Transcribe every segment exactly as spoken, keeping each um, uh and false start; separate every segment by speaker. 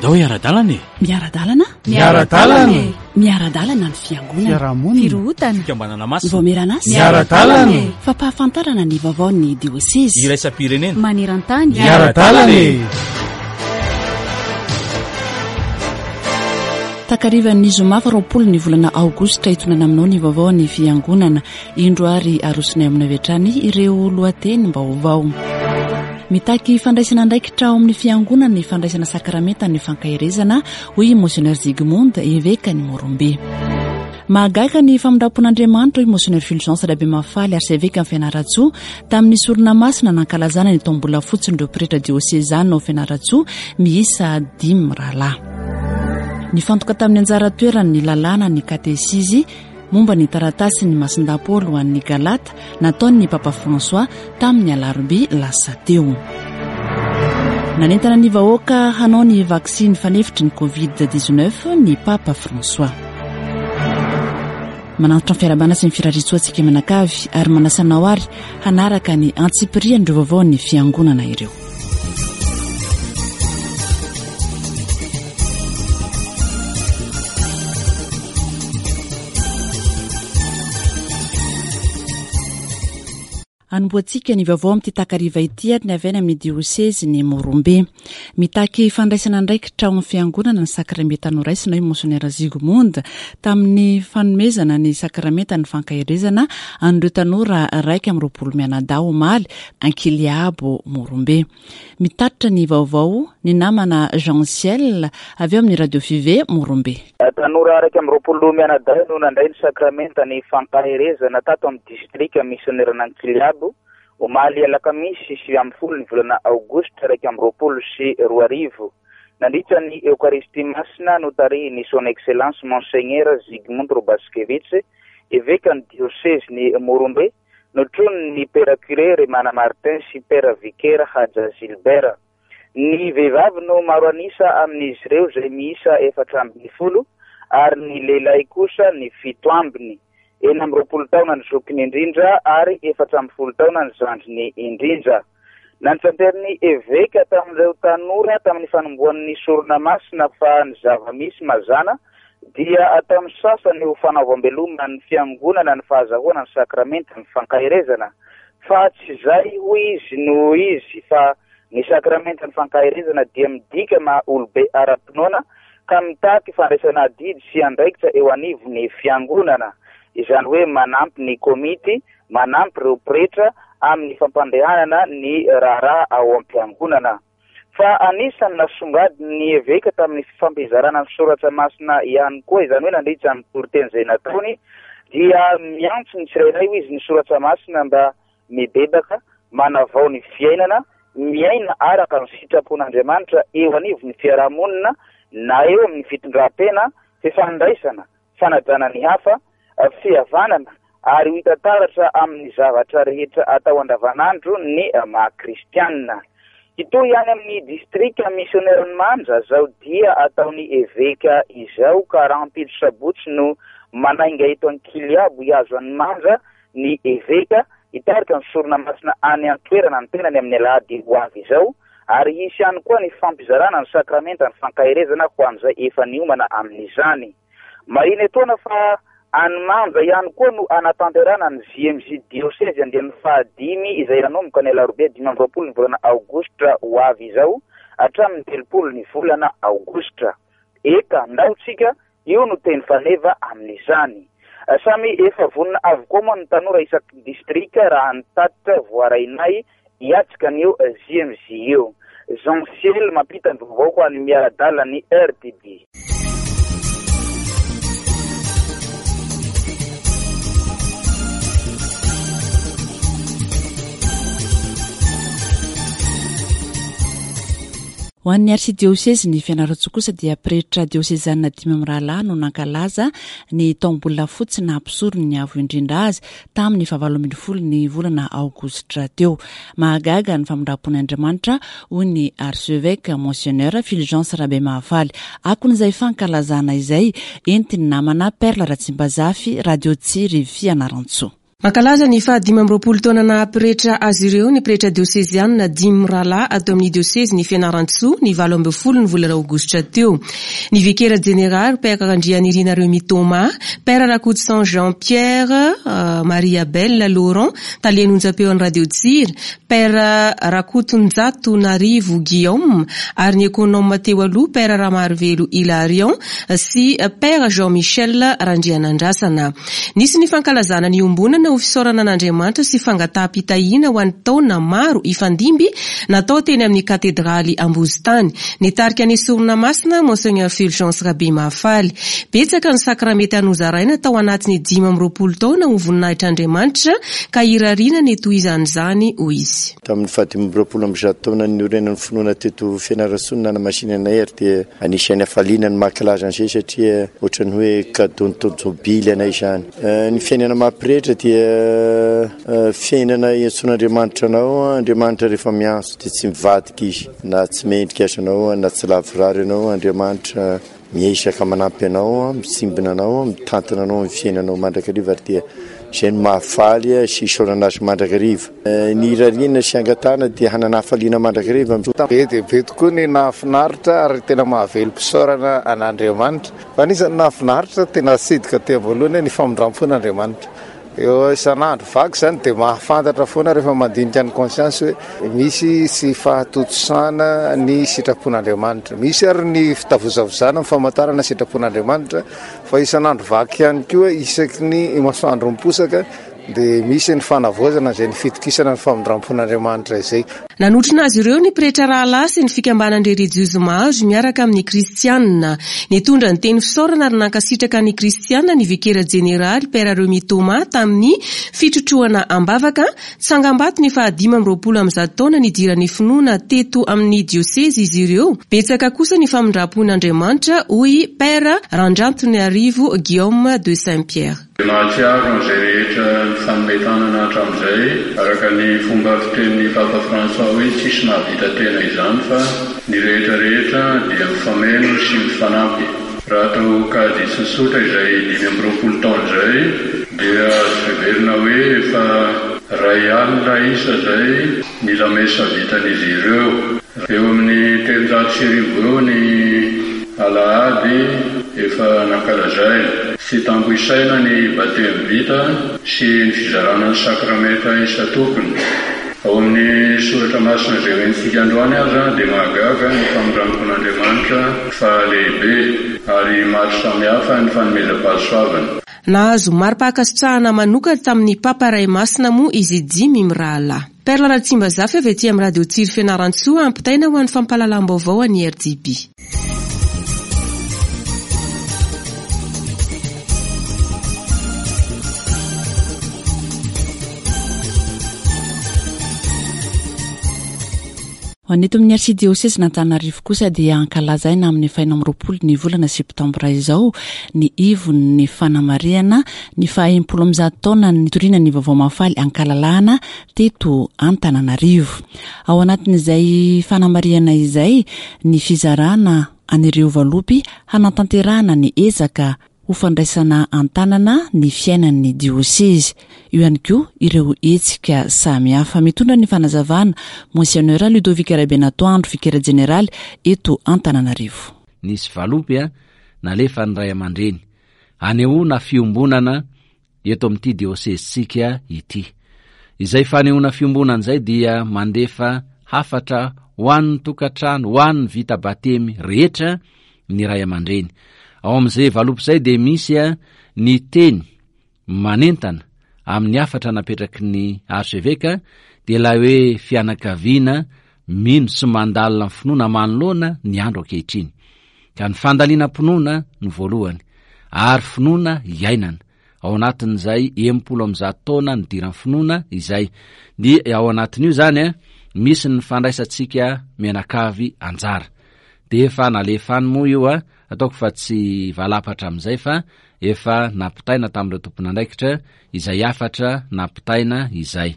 Speaker 1: Andao hiara-dalana e!
Speaker 2: Miara-dalana?
Speaker 3: Miara-dalana e!
Speaker 2: Miara-dalana ny fiangonana.
Speaker 3: Fiarahamonina.
Speaker 4: Firohotana.
Speaker 1: Fikambanana masina.
Speaker 2: Vaomieran'asa.
Speaker 3: Miara-dalana e!
Speaker 2: Fampahafantarana ny vaovaon'ny diosezy.
Speaker 1: Iraisam-pirenena.
Speaker 4: Maneran-tany.
Speaker 3: Miara-dalana e!
Speaker 2: Takarivan'ny zoma faha roapolo ny volana aogositra hitondrana aminao ny vaovao ny fiangonana. Indro ary arosonay aminao avy hatrany ireo lohatenim-baovao. Mitaky fandraisana andraikitra ao amin'ny fiangonana ny fandraisana sakramenta ny fankaherezana, hoy Monseigneur Zygmunt, evekan'i Morombe. Mahagaga ny famindram-pon'Andriamanitra, hoy Monseigneur Fulgence Rabemahafaly, arsevekan'i Fianarantsoa, tamin'ny sorona masina nankalazana ny taom-bola fotsin'ireo pretra diosezana ao Fianarantsoa miisa dimy rahalahy. Nifantoka tamin'ny anjara toerany ny lalàna ny katesizy momba ny taratasy ny Masindahy Paoly ho an'ny Galata nataon'ny Papa François tamin'ny alarobia lasa teo. Nanentana ny vahoaka hanao ny vaksiny fanefitry ny Covid dix-neuf ny Papa François. Manantitra ny fiarahabana sy ny firariantsoa antsika manakavy ary manasa anao ary hanaraka ny antsipirian'ireo vaovao ny fiangonana ireo. Anombohantsika ny vaovao amin'ity takariva ity ary ny avy any amin'ny diosezy ny Morombe. Mitaky fandraisana andraikitra ao amin'ny fiangonana ny sakramenta noraisina, hoy Monseigneur Zygmunt, tamin'ny fanomezana ny sakramenta ny fankaherezana an'ireo tanora raika amby roapolo mianadahy omaly Ankiliabo Morombe. Mitatitra ny vaovao ny namana Jean Ciel avy eo amin'ny Radio Five Morombe.
Speaker 5: Tanora raika amby roapolo mianadahy no nandray ny sakramenta ny fankaherezana tato amin'ny distrika misioneran'Ankiliabo omaly alakamisy sivy ambin'ny folo ny volana aogositra raika amby roapolo sy roa arivo. Nandritra ny Eokaristia masina notarihin'ny Son Excellence Monseigneur Zygmunt Robaskevich, evekan'ny diosezy Morombe, notronin'ny Père Curé Remana Martin sy Père Vicaire Haja Gilbert. Ny vehivavy no maro anisa amin'izy ireo izay miisa efatra ambin'ny folo ary ny lehilahy kosa ny fito ambiny. Enina amby roapolo taona ny zokiny indrindra ary efatra ambin'ny folo taona ny zandriny indrindra. Nantitranteran'ny eveka tamin'ireo tanora tamin'ny fanombohan'ny sorona masina fa ny zava-misy mazàna dia ataon'ny sasany ho fanaovam-beloma ny fiangonana ny fahazahoana ny sakramenta ny fankaherezana. Fa tsy izay hoy izy no izy fa ny sakramenta ny fankaherezana dia midika maha olobe ara-pinoana ka mitaky fandraisana adidy sy andraikitra eo anivon'ny fiangonana. Izany hoe manampy ny komity, manampy ireo pretra amin'ny fampandehanana ny raharaha ao am-piangonana. Fa anisan'ny nasongadin'ny eveka tamin'ny fifampizarana ny soratra masina ihany koa, izany hoe nandritra ny toriteny izay nataony, dia miantso ny tsirairay hoy izy ny soratra masina mba mibebaka, manavao ny fiainana, miaina araka ny sitrapon'Andriamanitra eo anivon'ny fiarahamonina na eo amin'ny fitondran-tena, fifandraisana, fanajana ny hafa, fihavanana ary ho hita taratra amin'ny zavatra rehetra atao andavanandro ny maha kristianina. Hitohy any amin'ny distrika misioneran'i Manja zao dia ataon'ny eveka izao ka rahampitso sabotsy no manainga eto Ankiliabo hihazo an'i Manja ny eveka hitarika ny sorona masina any an-toerana ny tenany amin'ny alahady ho avy izao ary hisy ihany koa ny fampizarana ny sakramenta ny fankaherezana ho an'izay efa niomana amin'izany. Marihina etoana fa any Manja ihany koa no anatanterahana ny J M J diosezy andiany fahadimy izay hanomboka ny alarobia dimy amby roapolo ny volana aogositra ho avy izao hatramin'ny telopolo ny volana aogositra. Eka, ndao tsika, io no teny faneva amin'izany. Samy efa vonona avokoa moa ny tanora isaky ny distrika raha ny tatitra voarainay hiatrika an'io J M J io. Jean Ciel mampita ny vaovao ho an'ny miara-dalana ny R T D.
Speaker 2: Ho an'ny arsidiosezy ny Fianarantsoa kosa dia pretra diosezanina dimy amby rahalahy no nankalaza ny taom-bola fotsy nampisorony ny avo indrindra azy tamin'ny fahavalo ambin'ny folo ny volana aogositra teo. Mahagaga ny famindram-pon'Andriamanitra hoy ny archevêque Monseigneur Fulgence Rabemahafaly. Akon'izay fankalazana izay entin'ny namana Perle Ratsimbazafy, Radio Tsiry Fianarantsoa.
Speaker 1: Mankalaza ny fahadimy amby roapolo taona naha-pretra azy ireo ny pretra diosezianina dimy mirahalahy ato amin'ny diosezin'i Fianarantsoa ny valo ambin'ny folo ny volana aogositra teo. Ny vikera jeneraly Père Randrianirina Remy Thomas, Père Rakotoson Jean Pierre, Marie Abel Laurent, talen'ny onjam-peon'ny Radio Tsira, Père Rakotonjato Narivo Guillaume ary ny ekonoma teo aloha Père Ramarivelo Hilarion sy Père Jean Michel Randrianandrasana. Nisy ny fankalazana ny ombonana ho fisaorana an'Andriamanitra sy fangataham-pitahiana ho an'ny taona maro ifandimby natao teny amin'ny katedraly Ambozitany. Nitarika ny sorona masina Monseigneur Fulgence Rabe Mahafaly. Betsaka ny sakramenta nozaraina tao anatin'ny dimy amby roapolo taona ho voninahitr'Andriamanitra ka irariana ny tohizan'izany, hoy izy.
Speaker 4: Tamin'ny fahadimy amby roapolo amby zato taona niorenan'ny finoana teto Fianarantsoa no nanamasinana anay ary dia anisan'ny hafaliana ny mankalaza an'izay satria ohatran'ny hoe cadeau ny taon-jobily anay izany. Ny fiainana maha-pretra dia fiainana iantsoan'Andriamanitra anao. Andriamanitra rehefa miantso dia tsy mivadika izy, na tsy mendrika aza anao na tsy lavorary ianao. Andriamanitra miezaka manampy anao, mitsimbina anao, mitantana anao amin'ny fiainanao mandrakariva ary dia izay no mahafaly sy isaorana azy mandrakariva. Ny irariana sy angatahana dia hanana hafaliana mandrakariva.
Speaker 6: Be dia be tokoa ny nahafinaritra ary tena mahavelom-pisaorana an'Andriamanitra. Fa anisan'ny nahafinaritra tena sidika teo voalohany ny famindram-pon'Andriamanitra. Eo isan'andro vaky izany dia mahafantatra foana rehefa mandinika ny conscience hoe misy sy fahatontosana ny sitrapon'Andriamanitra. Misy ary ny fitavozavozana ny famantarana sitrapon'Andriamanitra, fa isan'andro vaky ihany koa isaky ny masoandro miposaka dia misy ny fanavaozana izay ny fitokisana ny famindram-pon'Andriamanitra izay.
Speaker 1: Nanotrona azy ireo ny pretra rahalahy sy ny fikambanan-dry relijiozy maro miaraka amin'ny kristianina. Nitondra ny teny fisaorana ary nankasitraka ny kristianina ny vikera jeneraly Père Remy Thomas tamin'ny fitrotroana am-bavaka. Tsangambato ny fahadimy amby roapolo amby zato taona nidiran'ny finoana teto amin'ny diosezy izy ireo. Betsaka kosa ny famindram-pon'Andriamanitra, hoy Père Randrantonarivo Guillaume de Saint-Pierre.
Speaker 7: Mahatsiaro an'izay rehetra nifanome tanana hatramin'izay, araka ny fomba fitenin'ny Papa François hoe tsisy mahavita tena izany fa ny rehetra rehetra dia mifameno sy mifanampy. Raha atao kajy tsotsotra izay dimy amby roapolo taona izay dia azo heverina hoe efa ray alina isa izay ny lamesa vitan'izy ireo. Eo amin'ny telonjato sy arivo eo ny alahady efa nankalazaina. Tsy tambo isaina ny batemy vita sy ny fizarana ny sakramenta isan-tokony. Ao amin'ny soratra masina izay hoentintsika androany aza dia mahagaga ny famindram-pon'Andriamanitra fa lehibe ary maro samihafa ny fanomezam-pahasoavana.
Speaker 1: Nahazo mari-pankasitrahana manokana tamin'ny Papa Ray Masina moa izy dimy mirahalahy. Perla Ratsimbazafy avy aty amin'ny Radio Tsiry Fianarantsoa ampitaina ho an'ny fampahalalam-baovao an'ny R D B.
Speaker 2: Ho an'ny eto amin'ny arsidiosezin'Antananarivo kosa dia ankalazaina amin'ny faha amby roapolo ny volana septambra izao ny ivon'ny fanamarihana ny faha-enimpolo amby zato taona nitoriana ny vaovao mahafaly ankalalahana teto Antananarivo. Ao anatin'izay fanamarihana izay ny fizarana an'ireo valopy hanatanterahana ny ezaka ho fandraisana an-tanana ny fiainan'ny diosezy. Io ihany koa ireo hetsika samihafa. Mitondra ny fanazavana Monseigneur Ludovic Rabenatoandro, vikera jeneraly eto Antananarivo.
Speaker 8: Nisy valopy a nalefa ny ray aman-dreny anehoana fiombonana eto amin'ity diosezintsika ity. Izay fanehoana fiombonana izay dia mandefa hafatra ho an'ny tokantrano, ho an'ny vita batemy rehetra ny ray aman-dreny. Ao amin'izay valopy izay dia misy a ny teny manentana amin'ny hafatra napetraky ny archevêque, dia ilay hoe fianakaviana mino sy mandalina ny finoana manoloana ny andro ankehitriny. Ka ny fandalinam-pinoana no voalohany, ary finoana iainana. Ao anatin'izay enimpolo amby zato taona nidiran'ny finoana izay. Dia ao anatin'io izany a, misy ny fandraisantsika mianakavy anjara. Dia efa nalefa any moa io a, ataoko fa tsy valapatra amin'izay fa efa nampitaina tamin'ireo tompon'andraikitra izay hafatra nampitaina izay.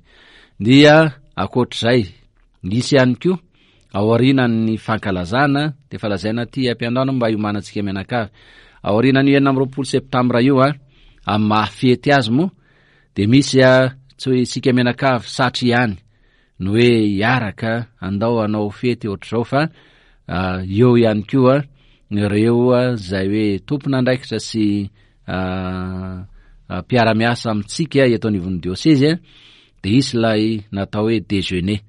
Speaker 8: Dia ankoatr'izay, nisy ihany koa aorianan'ny fankalazana, dia efa lazaina aty am-piandohana mba hiomanantsika mianakavy. Aorianan'io enina amby roapolo septambra io a, amin'ny mahafety azy moa, Dia misy a tsy hoe isika mianakavy satry ihany no hoe hiaraka andao hanao fety ohatr'izao, fa eo ihany koa ireo izay hoe tompon'andraikitra sy mpiara-miasa amintsika eto anivon'ny diosezy, dia hisy ilay natao hoe déjeuner.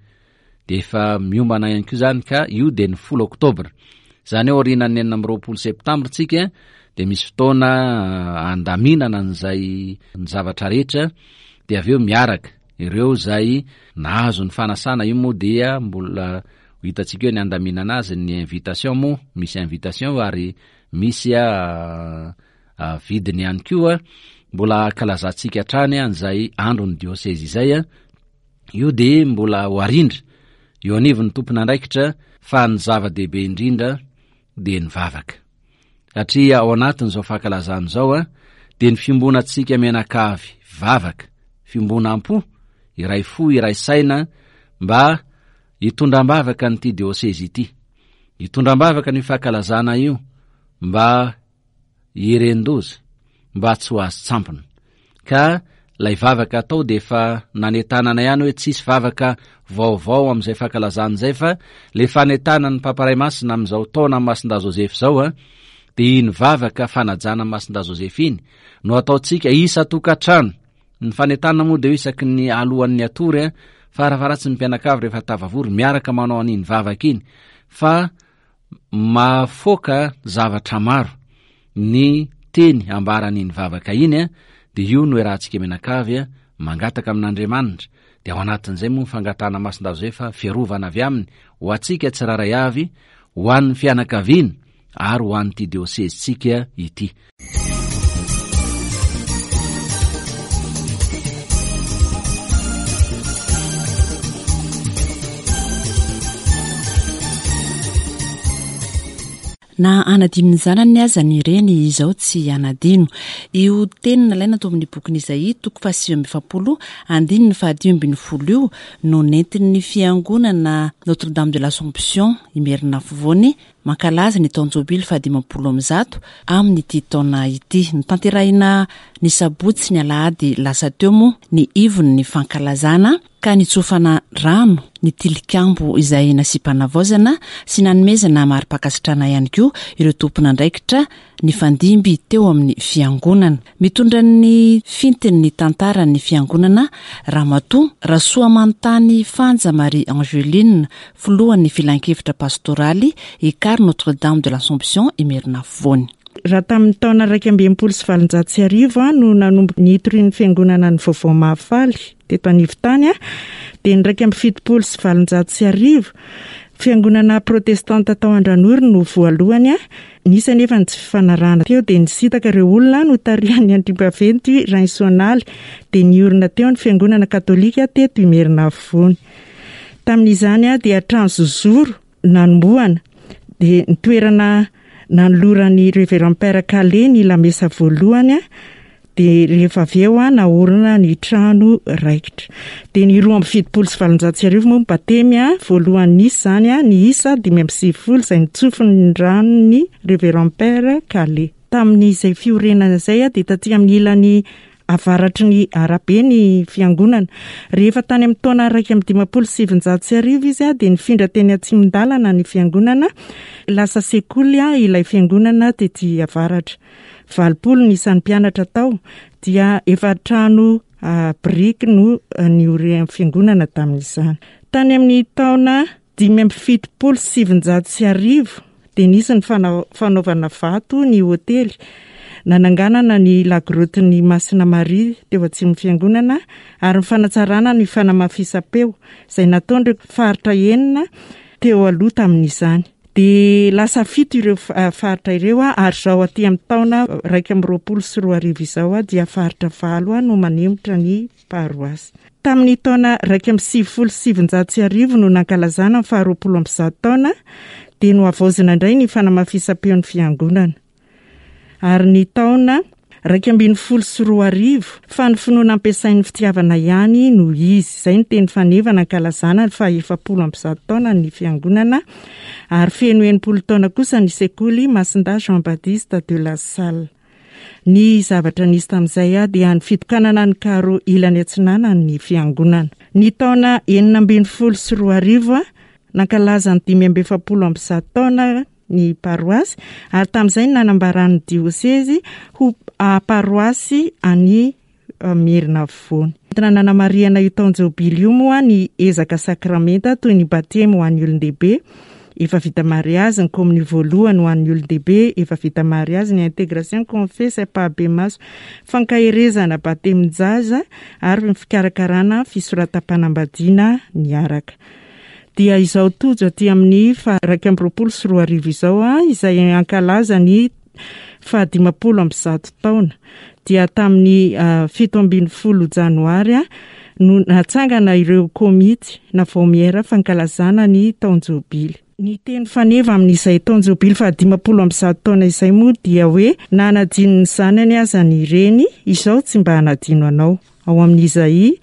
Speaker 8: Dia efa miombana ihany koa izany, ka io dia ny folo oktobra. Izany hoe aorianan'ny enina amby roapolo septambra tsika dia misy fotoana andaminana an'izay ny zavatra rehetra, dia avy eo miaraka ireo izay nahazo ny fanasana. Io moa dia mbola ho hitantsika eo ny andaminana azy, ny invitation moa misy invitation ary misy vidiny ihany koa. Mbola ankalazantsika hatrany an'izay andron'ny diosezy izay. Io dia mbola ho arindra eo anivon'ny tompon'andraikitra, fa ny zava-dehibe indrindra dia ny vavaka. Satria ao anatin'izao fankalazana izao a dia ny fiombonantsika mianakavy vavaka, fiombonam-po, iray fo, iray saina, mba hitondram-bavaka an'ity diosezy ity. Hitondram-bavaka ny fankalazana io mba hieren-doza, mba tsy ho azo tsampona. Ka ilay vavaka atao dia efa nanentanana ihany hoe tsisy vavaka vaovao amin'izay fankalazana izay, fa le fanentanan'ny Papa Ray Masina amin'izao taona Masindahy Joseph izao a dia iny vavaka fanajana Masindahy Joseph iny no ataontsika isan-tokantrano. Ny fanentanana moa dia isaky ny alohan'ny atory a, farafaharatsy ny mpianakavy rehefa tafavory miaraka manao an'iny vavaka iny, fa mahafoaka zavatra maro ny teny ambaran'iny vavaka iny a, dia io no iarahantsika mianakavy a mangataka amin'Andriamanitra. Dia ao anatin'izay moa ny fangatahana Masindahy Joseph fiarovana avy aminy ho antsika tsirairay avy, ho an'ny fianakaviana ary ho an'ity diosezintsika ity.
Speaker 2: Na anadino ny zanany aza ny reny, izao tsy anadino. Io teny nalaina tao amin'ny bokin'i Izaia toko fahasivy amby efapolo andininy fahadimy ambin'ny folo io no nentin'ny fiangonana Notre Dame de l'Assomption Imerina Afovoany mankalaza ny taon-jobily fahadimampolo amby zato amin'ity taona ity. Notanterahina ny sabotsy ny alahady lasa teo moa ny ivon'ny fankalazana, ka nitsofana rano ny tilikambo izay nasiam-panavaozana sy nanomezana mari-pankasitrahana ihany koa ireo tompon'andraikitra nifandimby teo amin'ny fiangonana. Mitondra ny fintin'ny tantaran'ny fiangonana Ramatoa Rasoamanontany Fanja Marie Angeline, filohan'ny filankevitra pastoraly Ekar Notre Dame de l'Assomption Imerina Afovoany.
Speaker 9: Raha tamin'ny taona iraika amby enimpolo sy valonjato sy arivo no nanomboka nitorian'ny fiangonana ny vaovao mahafaly teto Anivotany, dia ny iraika amby fitopolo sy valonjato sy arivo fiangonana protestanta tao Andranory no voalohany. Nisy anefa ny tsy fifanarahana teo, dia nisintaka ireo olona notarihan'ny andriambaventy Rainsoanaly, dia niorina teo ny fiangonana katolika teto Imerina Afovoany. Tamin'izany dia trano zozoro nanombohana, dia ny toerana nanoloran'ny Révérend Père Calais ny lamesa voalohany, dia rehefa avy eo naorina ny trano raikitra. Dia ny roa amby fitopolo sy valonjato sy arivo moa ny batemy voalohany nisy izany, ny isa dimy amby sivifolo izay nitsofin'ny ranon'ny Révérend Père Calais. Tamin'izay fiorenana izay dia taty amin'ny ilany avaratry ny arabe ny fiangonana. Rehefa tany amin'ny taona iraika amby dimampolo sy sivinjato sy arivo izy dia nifindra teny atsimon-dalana ny fiangonana. Lasa sekoly ilay fiangonana tety avaratra. Valopolo ny isan'ny mpianatra tao, dia efa trano biriky no nioren'ny fiangonana tamin'izany. Tany amin'ny taona dimy amby fitopolo sy sivinjato sy arivo dia nisy ny fanaovana vato ny hotely. Nananganana ny lagrotin'ny Masina Maria teo atsimon'ny fiangonana ary ny fanatsarana ny fanamafisam-peo izay nataon'ireo faritra enina teo aloha tamin'izany. Dia lasa fito ireo faritra ireo, ary izao aty amin'ny taona iraika amby roapolo sy roa arivo izao dia faritra valo no manemitra ny paroasy. Tamin'ny taona iraika amby sivifolo sy sivinjato sy arivo no nankalazana ny faharoapolo amby zato taona, dia nohavaozina indray ny fanamafisam-peon'ny fiangonana. Ary ny taona iraika ambin'ny folo sy roa arivo, fa ny finoana ampiasain'ny fitiavana ihany no izy. Izay ny teny fanevana ankalazana ny fahaefapolo amby zato taona ny fiangonana, ary feno enimpolo taona kosa ny sekoly Masindahy Jean Baptiste de la Salle. Ny zavatra nisy tamin'izay dia ny fitokanana ny karo ilany atsinanan'ny fiangonana. Ny taona enina ambin'ny folo sy roa arivo nankalaza ny dimy amby efapolo amby zato taona ny paroasy ary tamin'izay nanambaran'ny diosezy ho paroasy any Merina Afovoany. Entina nanamarihana io taon-jobily io moa ny ezaka sakramenta toy ny batemy ho an'ny olon-dehibe efa vita mariazy, ny komonio voalohany ho an'ny olon-dehibe efa vita mariazy, ny intégration confesse ampahibemaso, fankaherezana batemin-jaza ary ny fikarakarana fisoratam-panambadiana niaraka. Dia izao tojo aty amin'ny faha iraika amby roapolo sy roa arivo izao izay ankalaza ny faha dimampolo amby zato taona. Dia tamin'ny fito ambin'ny folo janoary no natsangana ireo komity na vaomiera fankalazana ny taon-jobily. Ny teny faneva amin'izay taon-jobily faha dimampolo amby zato taona izay moa dia hoe na hanadino ny zanany aza ny reny, izao tsy mba hanadino anao. Ao amin'ny Izaia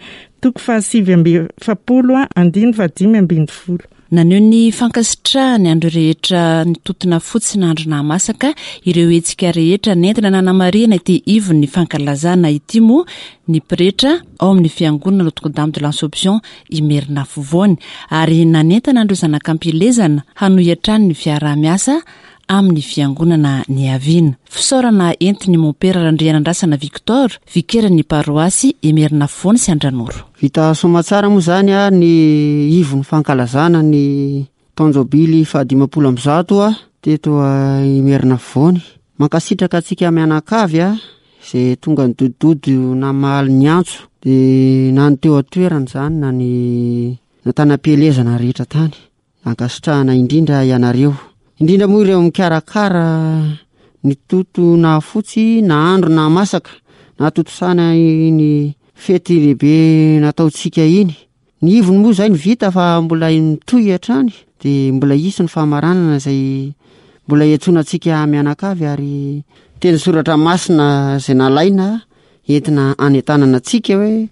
Speaker 9: toko fahasivy amby efapolo andininy fahadimy ambin'ny folo.
Speaker 2: Naneho ny fankasitrahany andro rehetra nitotona fotsy nandro nahamasaka ireo hetsika rehetra nentina nanamarihana ity ivon'ny fankalazana ity moa ny pretra ao amin'ny fiangonana Notre-Dame de l'Assomption Imerina Afovoany ary nanentana an'ireo zanak'ampielezana hanohy hatrany ny fiaraha-miasa amin'ny fiangonana niaviana. Fisaorana entiny mompera Randrianandrasana Victor, vikeran'ny paroasy Imerina Afovoany sy Andranoro.
Speaker 10: Vita soamantsara moa zany a ny ivon'ny fankalazana ny taon-jobily fahadimampolo amby zato a teto Imerina Afovoany. Mankasitraka antsika mianakavy a izay tonga nidodododo namaly ny antso dia na ny teo an-toerana izany na ny natana-pielezana rehetra tany. Ankasitrahana indrindra ianareo. Indrindra moa ireo mikarakara ny toto na fotsy na andro na masaka na tontosana iny fety lehibe nataontsika iny. Ny ivony moa izay ny vita fa mbola mitohy hatrany dia mbola hisy ny famaranana izay mbola iantsoana antsika mianakavy ary teny soratra masina izay nalaina entina anentanana antsika hoe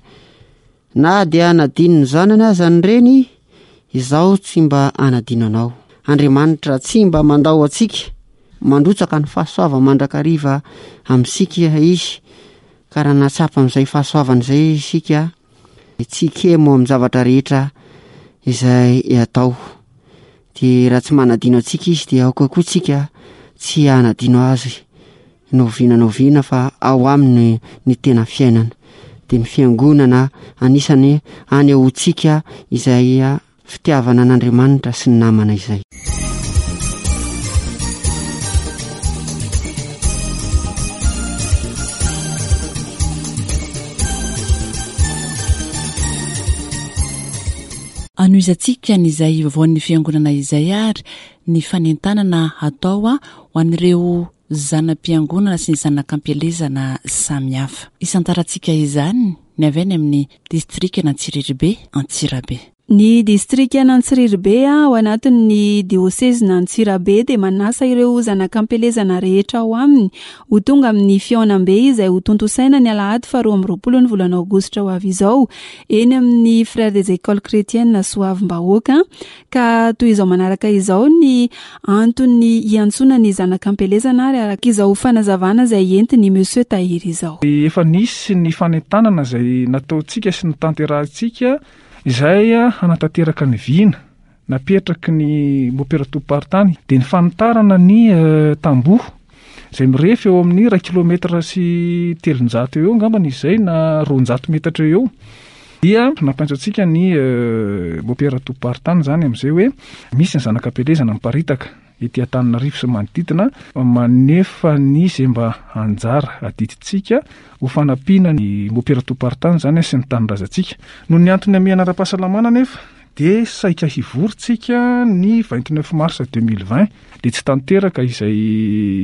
Speaker 10: na dia hanadino ny zanany aza ny reny, izaho tsy mba hanadino anao. Andriamanitra tsy mba mandao antsika, mandrotsaka ny fahasoava mandrakariva amintsika izy, ka raha nahatsapa amin'izay fahasoavana izay isika, tsy kemo amin'ny zavatra rehetra izay atao. Dia raha tsy manadino antsika izy dia aoka koa tsika tsy hanadino azy na oviana na oviana, fa ao aminy ny tena fiainana. Dia ny fiangonana anisany anehoantsika izay fitiavana an'Andriamanitra sy ny namana izay.
Speaker 2: Anohizantsika n'izay vaovaon'ny fiangonana izay ary ny fanentanana atao ho an'ireo zana-piangonana sy ny zanak'ampielezana samihafa. Isantarantsika izany ny avy any amin'ny distrikan'Antsirabe Antsirabe.
Speaker 11: Ny distrikan'Antsirabe ao anatin'ny diosezin'Antsirabe dia manasa ireo zanak'ampielezana rehetra ao aminy ho tonga amin'ny fihaonambe izay ho tontosaina ny alahady faharoa amby roapolo ny volana aogositra ho avy izao eny amin'ny Frères des Écoles Chrétiennes Soavimbahoaka. Ka toy izao manaraka izao ny antony hiantsoana ny zanak'ampielezana ary araka izao fanazavana izay entiny Monsieur Tahiry izao.
Speaker 12: Efa nisy ny fanentanana izay nataontsika sy notanterahantsika izay hanatanteraka ny vina napetraky ny mompera tompom-paritany dia ny fanitarana ny tamboho izay mirefy eo amin'ny iray kilometra sy telonjato eo angambany izay na roanjato metatra eo. Dia nampiantso antsika ny mompera tompom-paritany izany amin'izay hoe misy ny zanak'ampielezana miparitaka ety Antananarivo sy manodidina manefa ny izay mba anjara adidintsika ho fanampiana ny mompera tompom-paritany izany sy ny tanindrazantsika. Noho ny antony hamehana ara-pahasalamana nefa dia saika hivory tsika ny vingt-neuf mars deux mille vingt dia tsy tanteraka izay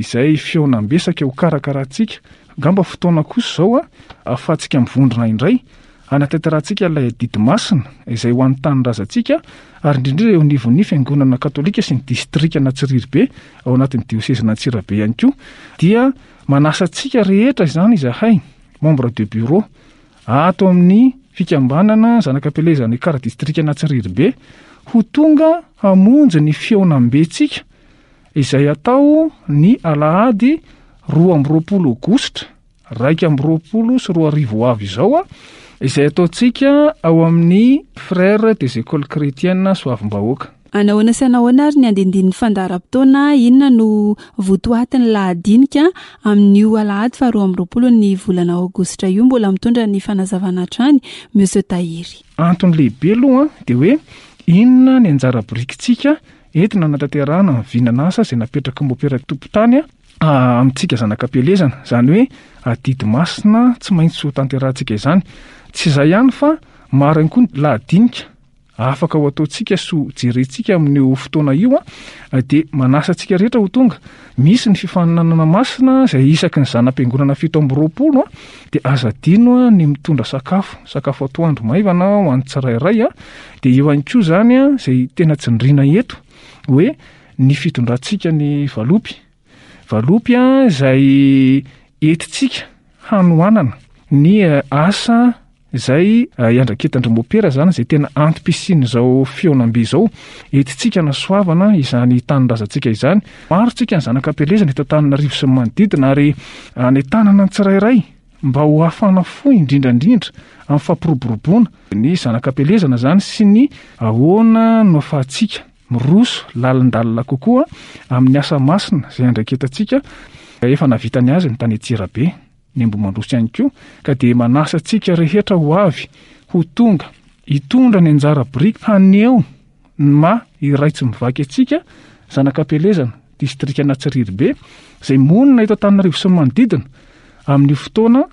Speaker 12: izay fihaonambe saika ho karakarahantsika. Angamba fotoana kosa izao a ahafahantsika mivondrona indray hanatanterahantsika ilay adidy masina izay ho an'ny tanindrazantsika ary indrindra eo anivon'ny fiangonana katolika sy ny distrikan'Antsirabe ao anatin'ny diosezin'Antsirabe ihany koa. Dia manasa antsika rehetra izany izahay membre de bureau ato amin'ny fikambanana zanak'ampielezana ekara distrikan'Antsirabe ho tonga hamonjy ny fihaonambentsika izay atao ny alahady roa amby roapolo aogositra raika amby roapolo sy roa arivo ho avy izao, izay ataontsika ao amin'ny Frères des Écoles Chrétiennes Soavimbahoaka.
Speaker 11: Anahoana sy anahoana ary ny andindinin'ny fandaharam-potoana, inona no votoatin'ny lahadinika amin'io alahady faharoa amby roapolo ny volana aogositra io? Mbola mitondra ny fanazavana hatrany Monsieur Tahiry.
Speaker 12: Antony lehibe aloha dia hoe inona ny anjara birikintsika entina hanatanterahana ny vinan'asa izay napetraky ny mopera tompon-tany amintsika zanakam-pielezana, izany hoe adidy masina tsy maintsy ho tanterahantsika izany. Tsy izay ihany fa maro ihany koa ny lahadinika afaka ho ataontsika sy ho jerentsika amin'io fotoana io, dia manasa antsika rehetra ho tonga. Misy ny fifaninanana masina izay isaky ny zana-piangonana fito amby roapolo, dia aza adino ny mitondra sakafo, sakafo atoandro maivana ho an'ny tsirairay. Dia eo ihany koa izany izay tena tsindriana eto hoe ny fitondrantsika ny valopy. Valopy izay entintsika hanohanana ny asa izay iandraketan-dry mopera zany, izay tena antom-pisian'izao fihaonambe izao. Entintsika nasoavana izany tanindrazantsika izany. Maro tsika ny zanak'ampielezana eto Antananarivo sy ny manodidina, ary anentanana ny tsirairay mba ho hafana fo indrindra indrindra amin'ny fampiroboroboana ny zanak'ampielezana zany sy ny ahoana no ahafahantsika miroso lalindalina kokoa amin'ny asa masina izay andraiketantsika. Efa nahavita ny azy ny tany Antsirabe, ny Ambohimandroso ihany koa, ka dia manasa antsika rehetra ho avy, ho tonga, hitondra ny anjara biriky haneho ny maha iray tsy mivaky antsika zanak'ampielezana, distrika Anatsiriribe, izay monina eto Antananarivo sy ny manodidina amin'io fotoana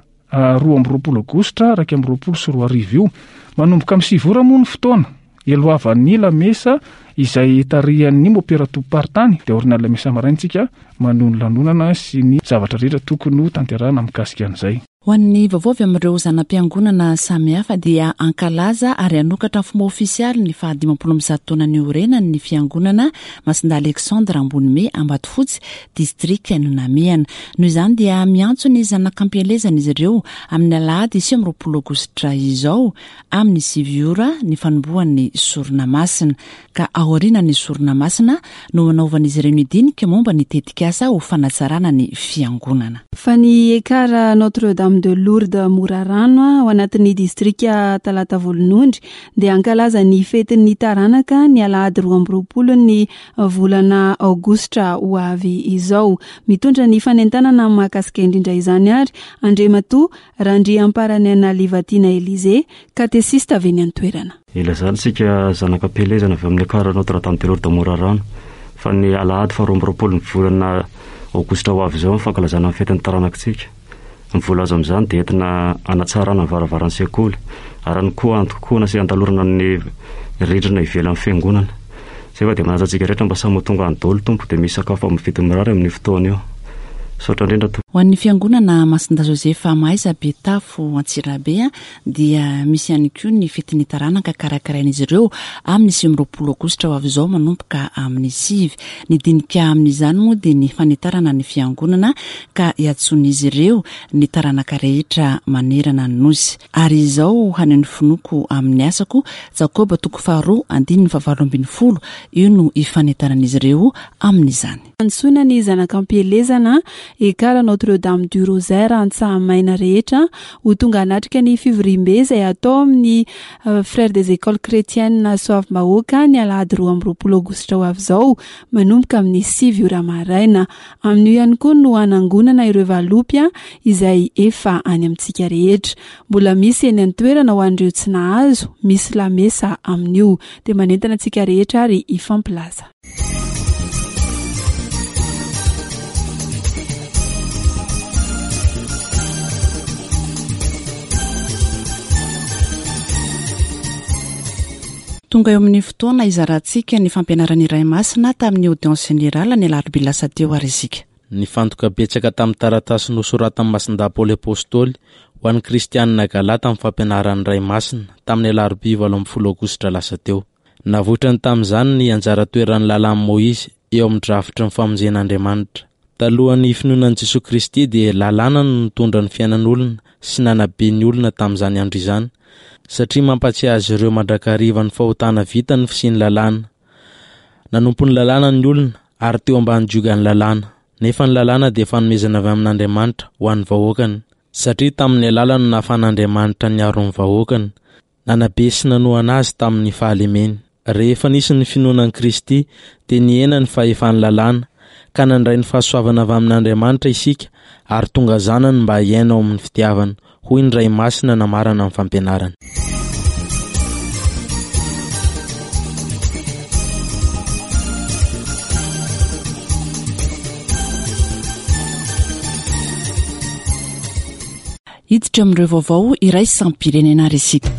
Speaker 12: roa amby roapolo aogositra iraika amby roapolo sy roa arivo io. Manomboka amin'ny sivy ora moa ny fotoana eloavan'ny lamesa izay tarihan'ny mopera tompom-paritany, dia aorian'ny lamesa maraina isika manohy ny lanonana sy ny zavatra rehetra tokony ho tanterahana mikasika an'izay.
Speaker 2: Ho an'ny vaovao avy amin'ireo zana-piangonana samihafa dia hankalaza ary hanokatra ny fomba ofisialy ny fahadimampolo amby zato taona niorenany ny fiangonana Masindahy Alexandre Ambonime Ambatofotsy, distrika Nonamehana. Noho izany dia miantso ny zanak'ampielezana izy ireo amin'ny alahady sivy amby roapolo aogositra izao amin'ny sivy ora ny fanombohan'ny sorona masina, ka aoriana ny sorona masina no hanaovan'izy ireo ny dinika momba ny tetikasa ho fanatsarana ny fiangonana.
Speaker 11: Fa ny Ekar Notre-Dame de Lourdes Morarano ao anatin'ny distrika Talata Volonondry dia hankalaza ny fetin'ny taranaka ny alahady roa amby roapolo ny volana aogositra ho avy izao. Mitondra ny fanentanana mahakasika indrindra izany ary Andriamatoa Randriamparaniana Livatina Elysée, katesista avy eny an-toerana.
Speaker 13: Ilazana isika zanak'ampielezana avy amin'ny Ekar Notre-Dame de Lourdes Morarano fa ny alahady faharoa amby roapolo ny volana aogositra ho avy izao ny fankalazana ny fetin'ny taranakitsika. Ny vola azo amin'izany dia entina hanatsarana ny varavaran'ny sekoly ary ihany koa antokoana sy andalorana ny rindrina ivelan'ny fiangonana. Izay fa dia manasa antsika rehetra mba samy ho tonga any daholo tompo, dia misy sakafo amin'ny vidiny mirary amin'io fotoana io. Misaotra indrindra tompoko.
Speaker 2: Ho an'ny fiangonana Masindahy Josefa Mahaiza Betafo Antsirabe dia misy ihany koa ny fetin'ny taranaka karakarain'izy ireo amin'ny sivy amby roapolo aogositra ho avy izao manomboka amin'ny sivy. Ny dinika amin'izany moa dia ny fanitarana ny fiangonana ka iantsoan'izy ireo ny taranaka rehetra manerana ny nosy. Ary izao haneho ny finoako amin'ny asako, Jakoba toko faharoa andininy fahavalo ambin'ny folo, io no ifanitaran'izy ireo amin'izany.
Speaker 11: Antsoina ny zanak'ampielezana Ekar Notre-Dame du Rosaire Antsahamaina rehetra ho tonga hanatrika ny fivoriambe izay atao amin'ny Frères des Écoles Chrétiennes Soavimbahoaka ny alahady roa amby roapolo aogositra ho avy izao manomboka amin'ny sivy ora maraina. Amin'io ihany koa no hanangonana ireo valopy izay efa any amintsika rehetra. Mbola misy eny an-toerana ho an'ireo tsy nahazo, misy lamesa amin'io. Dia manentana antsika rehetra ary hifampilaza.
Speaker 2: Tonga eo amin'ny fotoana izarantsika ny fampianaran'ny Ray Masina tamin'ny audience générale ny alarobia lasa teo ary isika.
Speaker 14: Nifantoka betsaka tamin'ny taratasy nosoratan'ny Masindahy Paoly Apôstôly ho an'ny Kristianina Galata amin'ny fampianaran'ny Ray Masina tamin'ny alarobia valo ambin'ny folo aogositra lasa teo. Navoitrany tamin'izany ny anjara toeran'ny lalàn'i Môizy eo amin'ny drafitry ny famonjen'Andriamanitra. Talohan'ny finoana an'i Jesoa Kristy dia lalàna no nitondra ny fiainan'olona sy nanabe ny olona tamin'izany andro izany, satria mampatsiahy azy ireo mandrakariva ny fahotana vita ny fisian'ny lalàna. Nanompo ny lalàna ny olona ary teo ambany jiogan'ny lalàna. Nefa ny lalàna dia fanomezana avy amin'Andriamanitra ho an'ny vahoakany, satria tamin'ny alalany no nahafahan'Andriamanitra niaro ny vahoakany, nanabe sy nanohana azy tamin'ny fahalemeny. Rehefa nisy ny finoana an'i Kristy, dia nihena ny fahefan'ny lalàna, ka nandray ny fahasoavana avy amin'Andriamanitra isika ary tonga zanany mba hiaina ao amin'ny fitiavana, hoy ny Ray Masina namarana ny fampianarany.
Speaker 2: Hiditra amin'ireo vaovao iraisam-pirenena ary isika.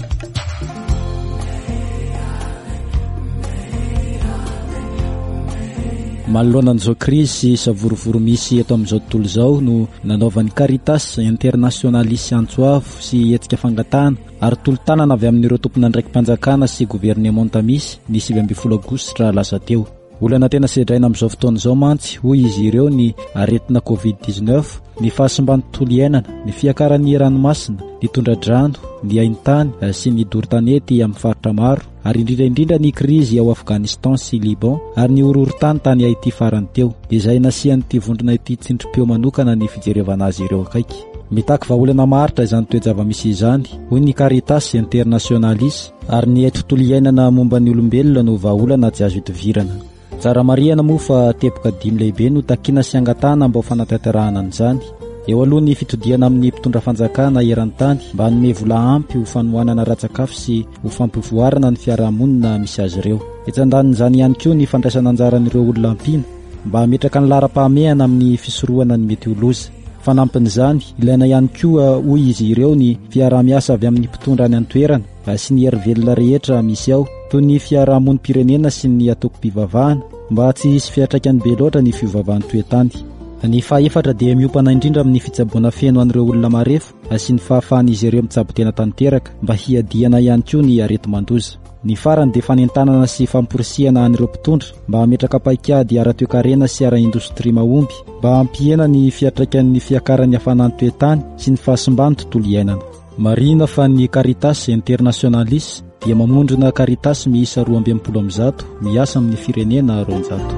Speaker 15: Manoloana an'izao krizy sy savorovoro misy eto amin'izao tontolo izao no nanaovan'ny Caritas Internationalis antso avo sy hetsika fangatahana ary tolo-tanana avy amin'ireo tompon'andraiki-panjakana sy governemanta misy ny sivy ambin'ny folo aogositra lasa teo. Olana tena sedraina amin'izao fotoana izao mantsy, hoy izy ireo, ny aretina covid dix-neuf, ny fahasimban'ny tontolo iainana, ny fiakaran'ny ranomasina, ny tondra-drano, ny haintany sy ny doro-tanety amin'ny faritra maro, ary indrindra indrindra ny krizy ao Afghanistan sy Liban ary ny horohorontany tany Haiti farany teo, izay nasian'ity vondrona ity tsindrim-peo manokana ny fijerevana azy ireo akaiky. Mitaky vahaolana maharitra izany toe-java-misy izany, hoy ny Caritas Internationalis, ary ny tontolo iainana momba ny olombelona no vahaolana tsy azo itovirana. Tsara marihana moa fa teboka dimy lehibe no takiana sy angatahana mba ho fanatanterahana an'izany. Eo aloha ny fitodihana amin'ny mpitondra fanjakana eran-tany mba hanome vola ampy ho fanohanana ara-tsakafo sy ho fampivoarana ny fiarahamonina misy azy ireo. Etsy andanin'izany ihany koa ny fandraisana anjaran'ireo olona ampiana mba hametraka ny laharam-pahamehana amin'ny fisorohana ny mety ho loza. Fanampin'izany, ilaina ihany koa, hoy izy ireo, ny fiaraha-miasa avy amin'ny mpitondra any an-toerana sy ny hery velona rehetra misy ao, toy ny fiarahamonim-pirenena sy ny antokom-pivavahana, mba tsy hisy fiantraikany be loatra ny fiovaovan'ny toetany. Ny fahaefatra dia miompana indrindra amin'ny fitsaboana feno an'ireo olona marefo sy ny fahafahan'izy ireo mitsabo tena tanteraka mba hiadiana ihany koa ny areti-mandoza. Ny farany dia fanentanana sy famporisihana an'ireo mpitondra mba hametraka paikady ara-toekarena sy ara-indostria mahomby mba hampihena ny fiantraikan'ny fiakaran'ny hafanan'ny toetany sy ny fahasimban'ny tontolo iainana. Marihina fa ny Caritas Internationalis dia mamondrona Caritas miisa roa amby enimpolo amby zato miasa amin'ny firenena roanjato.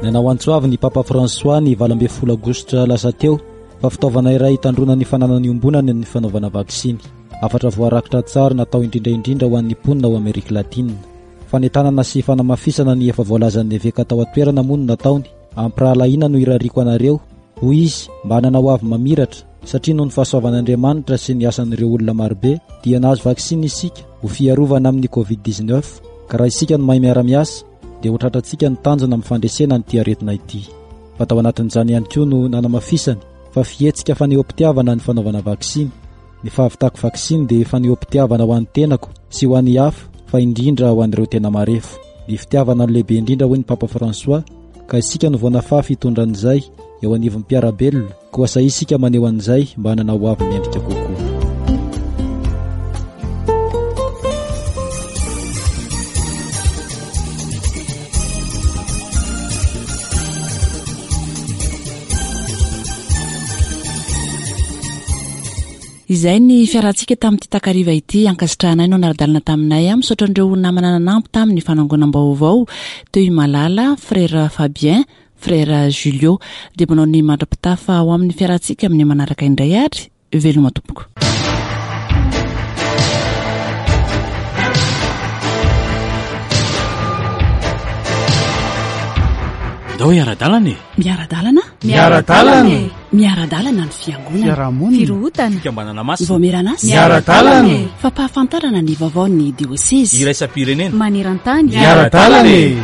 Speaker 15: Nanao antso avo ny Papa François ny valo ambin'ny folo aogositra lasa teo fa fitaovana iray hitandroana ny fananana iombonana ny fanaovana vaksiny. Hafatra voarakitra tsara natao indrindra indrindra ho an'ny mponina ao Amerika Latina. Fanentanana sy fanamafisana ny efa voalazan'ny eveka tao an-toerana moa no nataony. Ampirahalahiana no irariako anareo, hoy izy, mba hanana ho avy mamiratra, satria noho ny fahasoavan'Andriamanitra sy ny asan'ireo olona marobe dia nahazo vaksiny isika ho fiarovana amin'ny covid dix-neuf, ka raha isika no mahay miara-miasa dia ho tratrantsika ny tanjona amin'ny fandresena an'ity aretina ity. Fa tao anatin'izany ihany koa no nanamafisany fa fihetsika fanehoam-pitiavana ny fanaovana vaksiny. Ny fahavitako vaksiny dia fanehoam-pitiavana ho an'ny tenako sy ho an'ny hafa, fa indrindra ho an'ireo tena marefo. Ny fitiavana no lehibe indrindra, hoy ny Papa François, ka isika no vao nafafy hitondra an'izay eo anivon'ny mpiara-belona, koa sahia isika maneho an'izay mba hanana ho avy mendrika kokoa.
Speaker 2: Izay ny fiarahantsika tamin'ity takariva ity, ankasitrahanay no niara-dalana taminay. Misaotra an'ireo namana nanampy tamin'ny fanangonam-baovao teo i Malala, Frère Fabien, Frère Julio. Dia manao ny mandra-pitafa ho amin'ny fiarahantsika amin'ny manaraka indray ary veloma tompoko.
Speaker 16: Ndao hiara-dalana e.
Speaker 2: Miara-dalana?
Speaker 3: Miara-dalana e.
Speaker 2: Miara-dalana ny fiangonana.
Speaker 3: Fiarahamonina.
Speaker 11: Firohotana.
Speaker 16: Fikambanana masina.
Speaker 2: Vaomieran'asa.
Speaker 3: Miara-dalana e.
Speaker 2: Fampahafantarana ny vaovaon'ny diosezy.
Speaker 16: Iraisam-pirenena.
Speaker 11: Maneran-tany.
Speaker 3: Miara-dalana e.